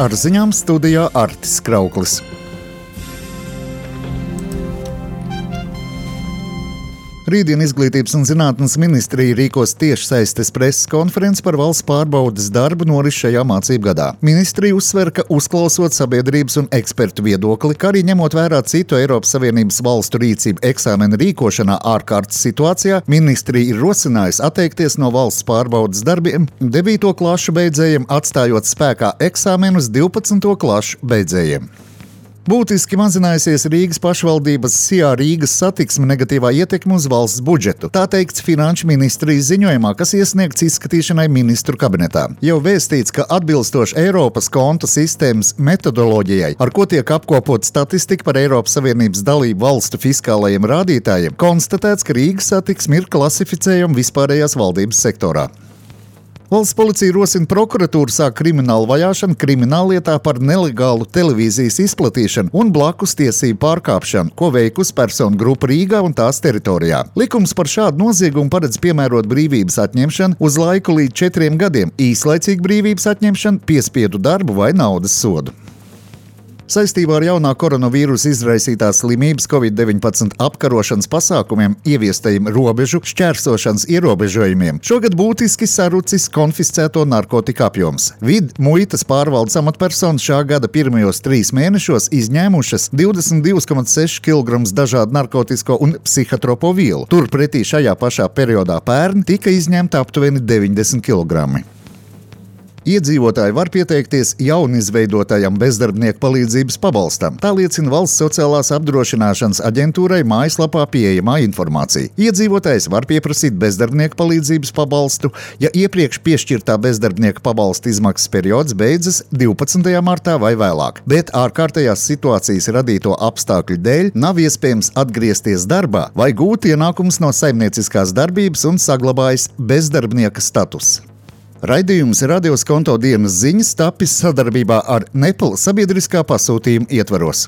Ar ziņām studijā Artis Krauklis. Rītdien Izglītības un zinātnes ministrija rīkos tiešsaistes preses konferenci par valsts pārbaudes darbu noris šajā mācību gadā. Ministrija uzsver, ka uzklausot sabiedrības un ekspertu viedokli, kā arī ņemot vērā citu Eiropas Savienības valstu rīcību eksāmenu rīkošanā ārkārtas situācijā, ministrija ir rosinājusi atteikties no valsts pārbaudes darbiem 9. klašu beidzējiem, atstājot spēkā eksāmenus 12. klašu beidzējiem. Būtiski mazinājusies Rīgas pašvaldības SIA Rīgas satiksme negatīvā ietekme uz valsts budžetu. Tā teikts Finanšu ministrijas ziņojumā, kas iesniegts izskatīšanai ministru kabinetā. Jau vēstīts, ka atbilstoši Eiropas kontu sistēmas metodoloģijai, ar ko tiek apkopot statistika par Eiropas Savienības dalību valstu fiskālajiem rādītājiem, konstatēts, ka Rīgas satiksme ir klasificējama vispārējās valdības sektorā. Valsts policija rosina prokuratūru sākt kriminālu vajāšanu krimināllietā par nelegālu televīzijas izplatīšanu un blakus tiesību pārkāpšanu, ko veikusi personu grupa Rīgā un tās teritorijā. Likums par šādu noziegumu paredz piemērot brīvības atņemšanu uz laiku līdz 4 gadiem, īslaicīgu brīvības atņemšanu, piespiedu darbu vai naudas sodu. Saistībā ar jaunā koronavīrusa izraisītās slimības COVID-19 apkarošanas pasākumiem ieviestajiem robežu šķērsošanas ierobežojumiem šogad būtiski sarucis konfiscēto narkotiku apjoms. Muitas pārvaldes amatpersonas šā gada pirmajos 3 mēnešos izņēmušas 22,6 kg dažādu narkotisko un psihotropo vielu. Turpretī šajā pašā periodā pērn tika izņemta aptuveni 90 kg. Iedzīvotāji var pieteikties jaunizveidotajam bezdarbnieku palīdzības pabalstam. Tā liecina Valsts sociālās apdrošināšanas aģentūrai mājaslapā pieejamā informācija. Iedzīvotājs var pieprasīt bezdarbnieku palīdzības pabalstu, ja iepriekš piešķirtā bezdarbnieku pabalsta izmaksas periods beidzas 12. martā vai vēlāk, bet ārkārtējās situācijas radīto apstākļu dēļ nav iespējams atgriezties darbā vai gūt ienākumus no saimnieciskās darbības un saglabājas bezdarbnieka status. Raidījums Radio Skonto dienas ziņas tapis sadarbībā ar Nepal sabiedriskā pasūtījuma ietvaros.